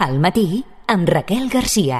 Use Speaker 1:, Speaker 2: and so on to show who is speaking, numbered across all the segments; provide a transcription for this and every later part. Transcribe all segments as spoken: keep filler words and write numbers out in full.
Speaker 1: Al matí, amb Raquel Garcia.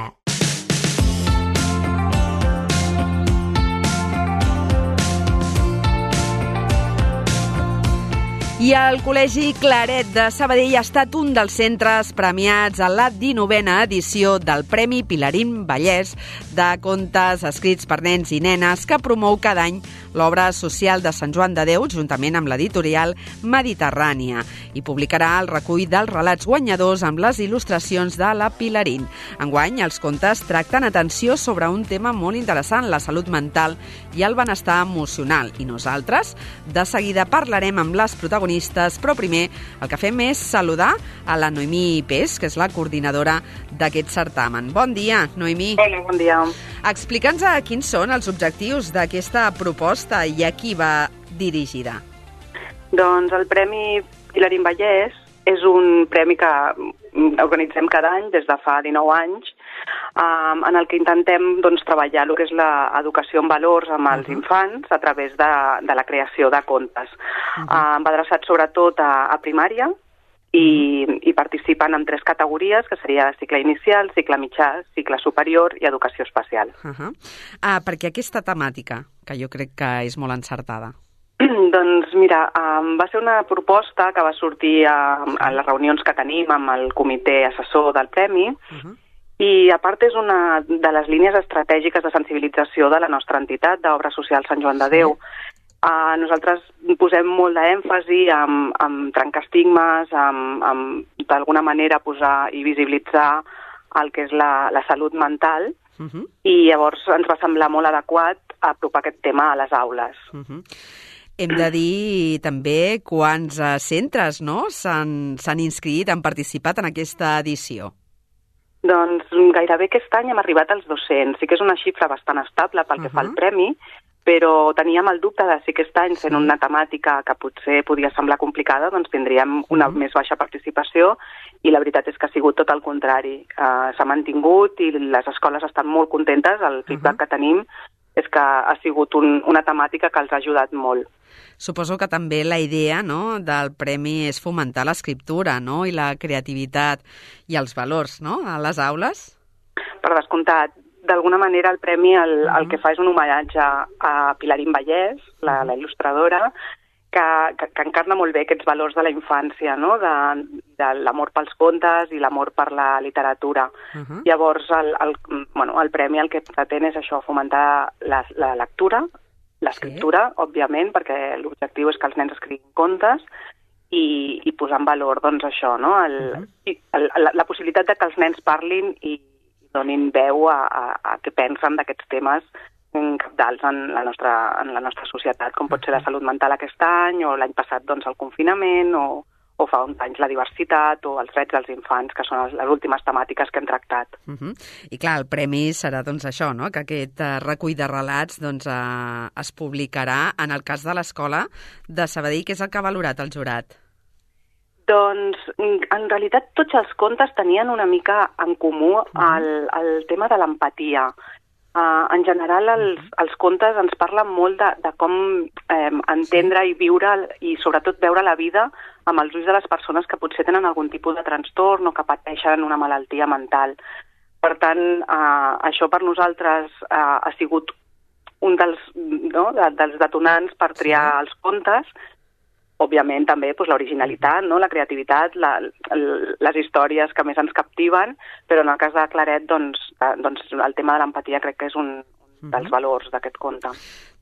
Speaker 2: I el Col·legi Claret de Sabadell ha estat un dels centres premiats a la dinovena edició del Premi Pilarín Vallès de contes escrits per nens i nenes que promou cada any l'obra social de Sant Joan de Déu juntament amb l'editorial Mediterrània i publicarà el recull dels relats guanyadors amb les il·lustracions de la Pilarín. Enguany, els contes tracten atenció sobre un tema molt interessant, la salut mental i el benestar emocional. I nosaltres, de seguida, parlarem amb les protagonistes, però primer el que fem és saludar a la Noemí Pes, que és la coordinadora d'aquest certamen. Bon dia, Noemí.
Speaker 3: Hola, bon dia.
Speaker 2: Explica'ns a quins són els objectius d'aquesta proposta i a qui va dirigida.
Speaker 3: Doncs el Premi Pilarín Vallès és un premi que organitzem cada any des de fa dinou anys, um, en el que intentem doncs, treballar el que és l'educació en valors amb els uh-huh. infants a través de, de la creació de contes. Uh-huh. Um, va adreçat sobretot a, a primària i, uh-huh. i participen en tres categories, que seria cicle inicial, cicle mitjà, cicle superior i educació especial.
Speaker 2: Uh-huh. Ah, perquè aquesta temàtica, que jo crec que és molt encertada.
Speaker 3: Doncs mira, um, va ser una proposta que va sortir a, a les reunions que tenim amb el comitè assessor del Premi uh-huh. i a part és una de les línies estratègiques de sensibilització de la nostra entitat d'Obra Social Sant Joan de Déu. Uh, nosaltres posem molt d'èmfasi en, en trencar estigmes, en, en d'alguna manera posar i visibilitzar el que és la, la salut mental uh-huh. i llavors ens va semblar molt adequat apropar aquest tema a les aules.
Speaker 2: Uh-huh. Hem de dir també quants uh, centres no? s'han inscrit, han participat en aquesta edició.
Speaker 3: Doncs gairebé aquest any hem arribat als dos-cents. Sí que és una xifra bastant estable pel que uh-huh. fa al premi, però teníem el dubte de si aquest any, fent una temàtica que potser podia semblar complicada, doncs tindríem una uh-huh. més baixa participació i la veritat és que ha sigut tot el contrari. Uh, s'ha mantingut i les escoles estan molt contentes. El feedback uh-huh. que tenim és que ha sigut un, una temàtica que els ha ajudat molt.
Speaker 2: Suposo que també la idea no, del premi és fomentar l'escriptura no, i la creativitat i els valors no, a les aules?
Speaker 3: Per descomptat. D'alguna manera el premi el, uh-huh. el que fa és un homenatge a Pilarín Vallès, la, la il·lustradora, que, que, que encarna molt bé aquests valors de la infància, no? de, de l'amor pels contes i l'amor per la literatura. Uh-huh. Llavors, el, el, bueno, el premi el que pretén és això, fomentar la, la lectura, l'escriptura, sí. òbviament, perquè l'objectiu és que els nens escriguin contes i, i posar en valor, doncs, això, no? El, uh-huh. i, el, la, la possibilitat de que els nens parlin i donin veu a, a, a què pensen d'aquests temes cabdals en la nostra, en la nostra societat, com pot ser la salut mental aquest any, o l'any passat doncs, el confinament, o, o fa uns anys la diversitat, o els drets dels infants, que són les últimes temàtiques que hem tractat.
Speaker 2: Uh-huh. I clar, el premi serà doncs, això, no? que aquest uh, recull de relats doncs, uh, es publicarà en el cas de l'escola de Sabadell, que és el que ha valorat el jurat.
Speaker 3: Doncs, en realitat, tots els contes tenien una mica en comú el, el tema de l'empatia. Uh, en general, els, els contes ens parlen molt de, de com eh, entendre i viure i sobretot veure la vida amb els ulls de les persones que potser tenen algun tipus de trastorn o que pateixen una malaltia mental. Per tant, uh, això per nosaltres uh, ha sigut un dels, no, de, dels detonants per triar sí. els contes. Òbviament també doncs, l'originalitat, no? la creativitat, la, les històries que més ens captiven, però en el cas de Claret doncs, doncs el tema de l'empatia crec que és un dels valors d'aquest conte.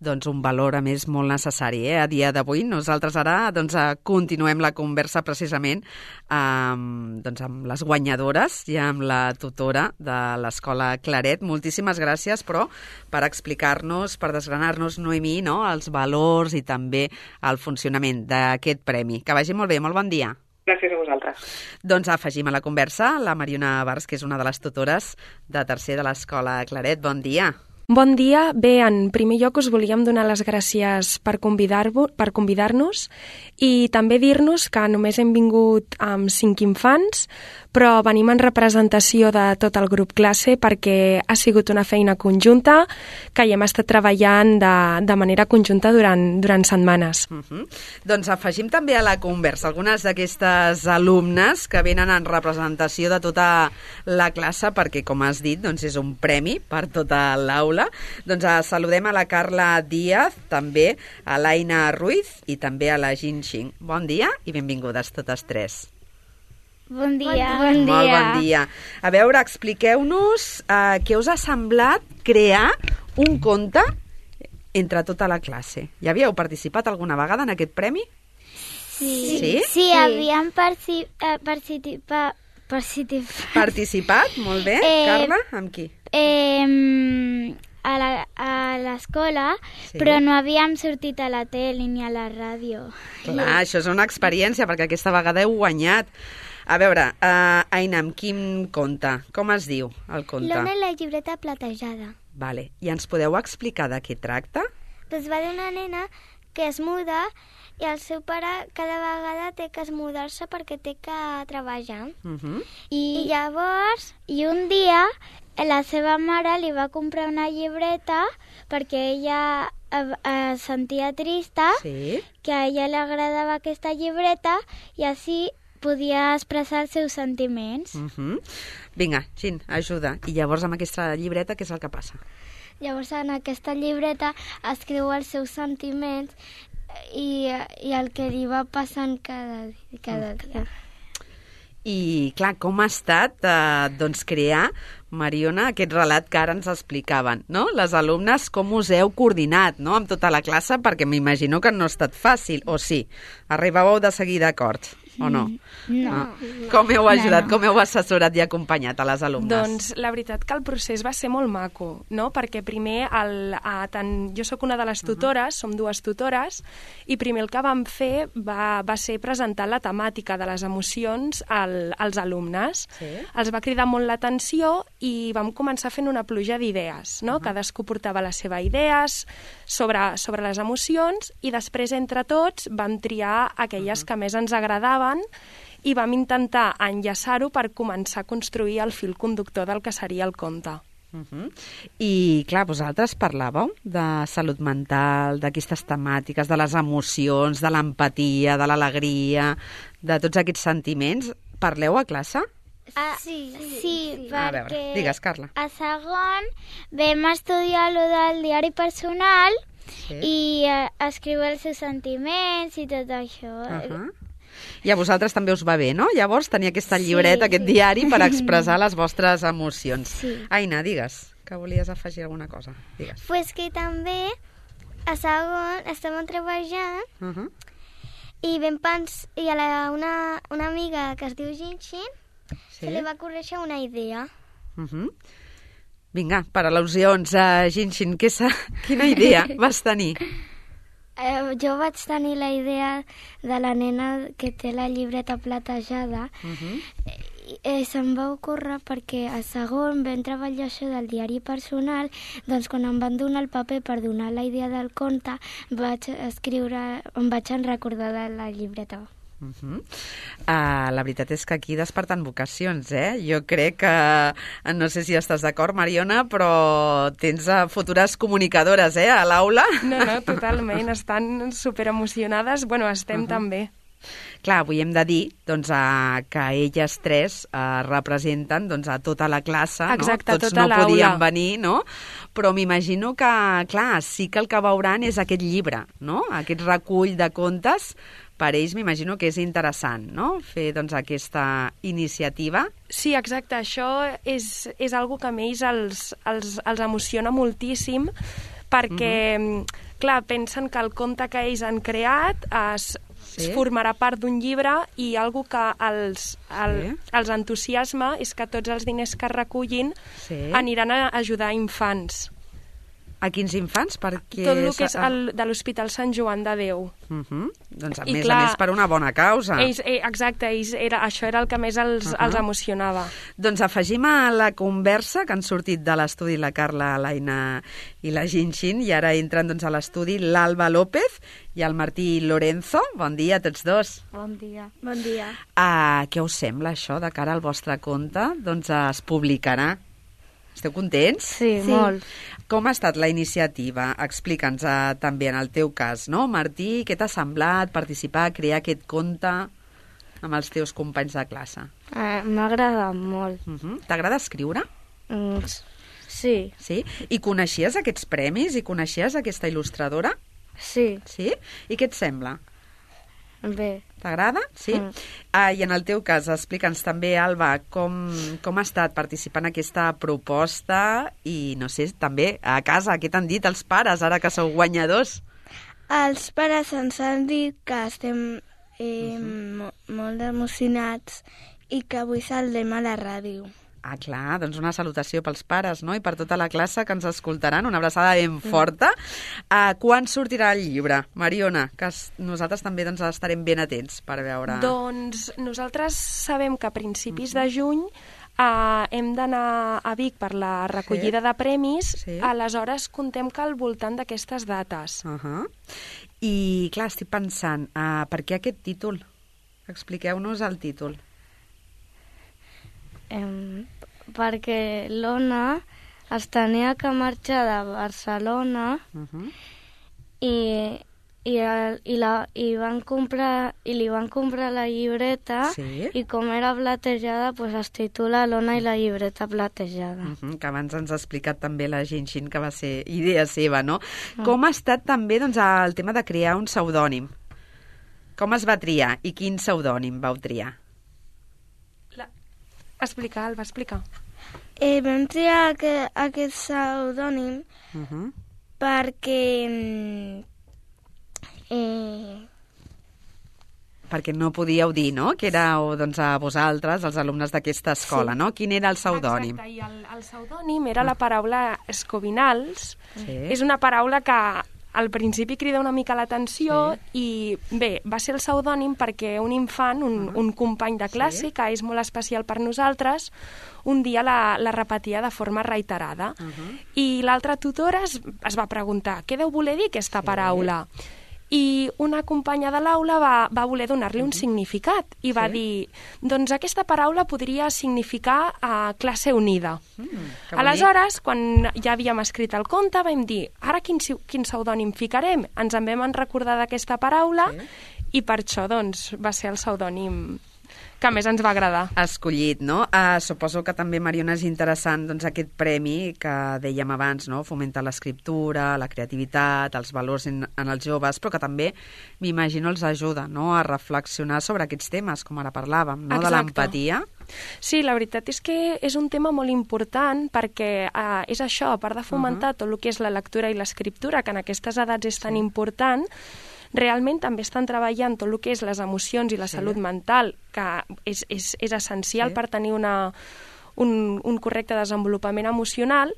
Speaker 2: Doncs un valor, a més, molt necessari eh? a dia d'avui. Nosaltres ara doncs, continuem la conversa precisament amb, doncs, amb les guanyadores i amb la tutora de l'Escola Claret. Moltíssimes gràcies, però, per explicar-nos, per desgranar-nos, Noemí, no? els valors i també el funcionament d'aquest premi. Que vagi molt bé, molt bon dia.
Speaker 3: Gràcies a vosaltres.
Speaker 2: Doncs afegim a la conversa la Mariona Bars, que és una de les tutores de tercer de l'Escola Claret. Bon dia.
Speaker 4: Bon dia. Bé, en primer lloc us volíem donar les gràcies per convidar-vos, per convidar-nos i també dir-nos que només hem vingut amb cinc infants, però venim en representació de tot el grup classe perquè ha sigut una feina conjunta que hi hem estat treballant de, de manera conjunta durant, durant setmanes.
Speaker 2: Uh-huh. Doncs afegim també a la conversa algunes d'aquestes alumnes que venen en representació de tota la classe perquè, com has dit, doncs és un premi per tota l'aula. Doncs uh, saludem a la Carla Díaz, també a l'Aina Ruiz i també a la Jin Xing. Bon dia i benvingudes totes tres.
Speaker 5: Bon dia.
Speaker 2: Bon dia. Molt bon dia. A veure, expliqueu-nos uh, què us ha semblat crear un conte entre tota la classe. Ja havíeu participat alguna vegada en aquest premi?
Speaker 5: Sí.
Speaker 2: Sí?
Speaker 5: Sí, havíem partici eh, participat... Participat?
Speaker 2: Participat? Molt bé.
Speaker 5: Eh,
Speaker 2: Carla, amb qui?
Speaker 5: Eh, a l'escola, sí. Però no havíem sortit a la tele ni a la ràdio.
Speaker 2: Clar, això és una experiència, perquè aquesta vegada heu guanyat. A veure, uh, Aina, amb quin conte? Com es diu el conte?
Speaker 5: L'home i la llibreta platejada.
Speaker 2: Vale. I ens podeu explicar de què tracta?
Speaker 5: Doncs va d'una nena que es muda i el seu pare cada vegada té que esmudar-se perquè té que treballar. Uh-huh. I llavors, i un dia, la seva mare li va comprar una llibreta perquè ella es sentia trista, sí. Que a ella li agradava aquesta llibreta i així podia expressar els seus sentiments.
Speaker 2: Uh-huh. Vinga, Xin, ajuda. I llavors amb aquesta llibreta què és el que passa?
Speaker 5: Llavors en aquesta llibreta escriu els seus sentiments i, i el que li va passant cada, cada dia.
Speaker 2: I, clar, com ha estat eh, doncs crear, Mariona, aquest relat que ara ens explicaven, no? Les alumnes, com us heu coordinat, no?, amb tota la classe, perquè m'imagino que no ha estat fàcil, o sí? Arribàveu de seguir d'acord, o no?
Speaker 5: No.
Speaker 2: Ah. Com heu ajudat, no, no. com heu assessorat i acompanyat a les alumnes?
Speaker 4: Doncs la veritat que el procés va ser molt maco, no? Perquè primer, el, a, tant, jo sóc una de les tutores, uh-huh. som dues tutores, i primer el que vam fer va, va ser presentar la temàtica de les emocions al, als alumnes. Sí. Els va cridar molt l'atenció i vam començar fent una pluja d'idees, no? Uh-huh. Cadascú portava les seves idees sobre, sobre les emocions i després, entre tots, vam triar aquelles uh-huh. que més ens agradaven i vam intentar enllaçar-ho per començar a construir el fil conductor del que seria el conte.
Speaker 2: Uh-huh. I, clar, vosaltres parlàveu de salut mental, d'aquestes temàtiques, de les emocions, de l'empatia, de l'alegria, de tots aquests sentiments. Parleu a classe?
Speaker 5: Ah, sí, sí, sí, perquè
Speaker 2: a veure, digues, Carla.
Speaker 5: A segon vam estudiar lo del diari personal, sí. I eh, escriure els seus sentiments i tot això.
Speaker 2: Uh-huh. I a vosaltres també us va bé, no? Llavors tenir aquesta llibreta, sí, aquest sí. diari per expressar les vostres emocions. Sí. Aina, digues, que volies afegir alguna cosa. Digues.
Speaker 5: Pues que també a segon estàvem treballant uh-huh. i vam pens... i a la, una, una amiga que es diu Jinxin, sí. se li va correixer una idea.
Speaker 2: Uh-huh. Vinga, per al·lusions, uh, Jinxin, quina idea vas tenir?
Speaker 5: Eh, jo vaig tenir la idea de la nena que té la llibreta platejada. Uh-huh. eh, se'm va ocórrer perquè a segon vam treballar això del diari personal, doncs quan em van donar el paper per donar la idea del conte vaig escriure, em vaig recordar de la llibreta.
Speaker 2: Uh-huh. uh, la veritat és que aquí desperten vocacions, eh? Jo crec que, no sé si estàs d'acord, Mariona, però tens uh, futures comunicadores, eh, a l'aula.
Speaker 4: No, no, totalment, estan superemocionades, bueno, estem uh-huh. també.
Speaker 2: Clar, avui hem de dir doncs, uh, que elles tres uh, representen doncs, a tota la classe.
Speaker 4: Exacte,
Speaker 2: no? Tots
Speaker 4: tota
Speaker 2: no
Speaker 4: l'aula.
Speaker 2: podien venir, no? Però m'imagino que, clar, sí que el que veuran és aquest llibre, no? Aquest recull de contes. Per ells m'imagino que és interessant, no?, fer doncs, aquesta iniciativa.
Speaker 4: Sí, exacte. Això és, és algo que a ells els, els, els emociona moltíssim perquè, uh-huh. clar, pensen que el conte que ells han creat es, sí. es formarà part d'un llibre i algo que els, el, sí. els entusiasma és que tots els diners que recullin sí. aniran a ajudar infants.
Speaker 2: A quins infants? Perquè...
Speaker 4: Tot el que és el, de l'Hospital Sant Joan de Déu.
Speaker 2: Uh -huh. Doncs a
Speaker 4: I
Speaker 2: més
Speaker 4: clar,
Speaker 2: a més per una bona causa.
Speaker 4: Ells, eh, exacte, ells era, això era el que més els, uh -huh. els emocionava.
Speaker 2: Doncs afegim a la conversa que han sortit de l'estudi la Carla, l'Aina i la Ginxin, i ara entren doncs, a l'estudi l'Alba López i el Martí Lorenzo. Bon dia a tots dos.
Speaker 5: Bon dia. Bon dia.
Speaker 2: Uh, què us sembla això de cara al vostre conte? Doncs uh, es publicarà. Esteu contents?
Speaker 5: Sí, sí, molt.
Speaker 2: Com ha estat la iniciativa? Explica'ns uh, també en el teu cas, no? Martí, què t'ha semblat participar, crear aquest conte amb els teus companys de classe?
Speaker 5: Uh, M'ha agradat molt.
Speaker 2: Uh -huh. T'agrada escriure?
Speaker 5: Mm, sí.
Speaker 2: Sí? I coneixies aquests premis? I coneixies aquesta il·lustradora?
Speaker 5: Sí.
Speaker 2: Sí? I què et sembla?
Speaker 5: Bé.
Speaker 2: T'agrada? Sí? Mm. Ah, I en el teu cas, explica'ns també, Alba, com, com ha estat participar en aquesta proposta i, no sé, també a casa, què t'han dit els pares ara que sou guanyadors?
Speaker 6: Els pares ens han dit que estem eh, uh-huh. mo molt emocionats i que avui saldrem a la ràdio.
Speaker 2: Ah, clar, doncs una salutació pels pares, no?, i per tota la classe que ens escoltaran, una abraçada ben forta. Uh, quan sortirà el llibre, Mariona? Que nosaltres també doncs, estarem ben atents per veure...
Speaker 4: Doncs nosaltres sabem que a principis uh-huh. de juny uh, hem d'anar a Vic per la recollida
Speaker 2: sí.
Speaker 4: de premis,
Speaker 2: sí.
Speaker 4: aleshores contem que al voltant d'aquestes dates.
Speaker 2: Uh -huh. I, clar, estic pensant, uh, per què aquest títol? Expliqueu-nos el títol.
Speaker 5: Eh, perquè l'Ona es tenia que marxar de Barcelona uh -huh. i, i, el, i, la, i, van comprar, i li van comprar la llibreta
Speaker 2: sí.
Speaker 5: i com era platejada pues es titula l'Ona i la llibreta platejada.
Speaker 2: Uh -huh, que abans ens ha explicat també la Ginxin que va ser idea seva, no? Uh -huh. Com ha estat també doncs, el tema de crear un pseudònim? Com es va triar i quin pseudònim vau triar?
Speaker 4: Explicar, el va explicar.
Speaker 6: Eh, vam triar aquest, aquest pseudònim
Speaker 2: uh -huh.
Speaker 6: perquè... Eh...
Speaker 2: Perquè no podíeu dir, no?, que éreu doncs, a vosaltres, els alumnes d'aquesta escola, sí. no? Quin era el pseudònim?
Speaker 4: Exacte, i el, el pseudònim era la paraula escobinals.
Speaker 2: Sí.
Speaker 4: És una paraula que al principi crida una mica l'atenció sí. i bé, va ser el pseudònim perquè un infant, un, uh -huh. un company de classe sí. que és molt especial per nosaltres, un dia la, la repetia de forma reiterada. Uh -huh. I l'altra tutora es, es va preguntar què deu voler dir aquesta sí. paraula? I una companya de l'aula va, va voler donar-li uh -huh. un significat i va sí. dir, doncs aquesta paraula podria significar uh, classe unida. Mm, Aleshores, quan ja havíem escrit el conte, vam dir, ara quin, quin pseudònim ficarem? Ens en vam recordar d'aquesta paraula sí. i per això doncs, va ser el pseudònim que més ens va agradar.
Speaker 2: Escollit, no? Uh, suposo que també, Mariona, és interessant doncs, aquest premi que dèiem abans, no? Fomenta l'escriptura, la creativitat, els valors en, en els joves, però que també, m'imagino, els ajuda, no?, a reflexionar sobre aquests temes, com ara parlàvem, no?,
Speaker 4: Exacte.
Speaker 2: de l'empatia.
Speaker 4: Sí, la veritat és que és un tema molt important perquè uh, és això, a part de fomentar uh -huh. tot el que és la lectura i l'escriptura, que en aquestes edats és tan sí. important, realment també estan treballant tot el que és les emocions i la sí. salut mental, que és, és, és essencial sí. per tenir una, un, un correcte desenvolupament emocional,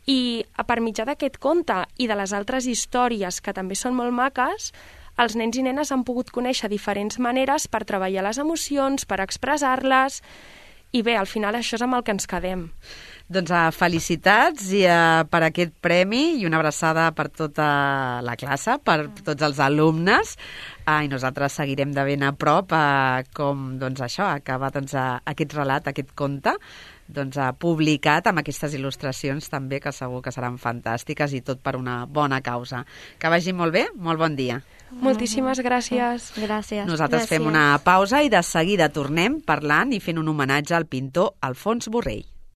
Speaker 4: i per mitjà d'aquest conte i de les altres històries, que també són molt maques, els nens i nenes han pogut conèixer diferents maneres per treballar les emocions, per expressar-les, i bé, al final això és amb el que ens quedem.
Speaker 2: Doncs uh, felicitats i, uh, per aquest premi i una abraçada per tota la classe, per tots els alumnes, uh, i nosaltres seguirem de ben a prop uh, com doncs, això acaba doncs, uh, aquest relat, aquest conte, doncs, uh, publicat amb aquestes il·lustracions també, que segur que seran fantàstiques i tot per una bona causa. Que vagi molt bé, molt bon dia.
Speaker 4: Moltíssimes gràcies.
Speaker 5: Gràcies.
Speaker 2: Nosaltres
Speaker 5: gràcies.
Speaker 2: fem una pausa i de seguida tornem parlant i fent un homenatge al pintor Alfons Borrell.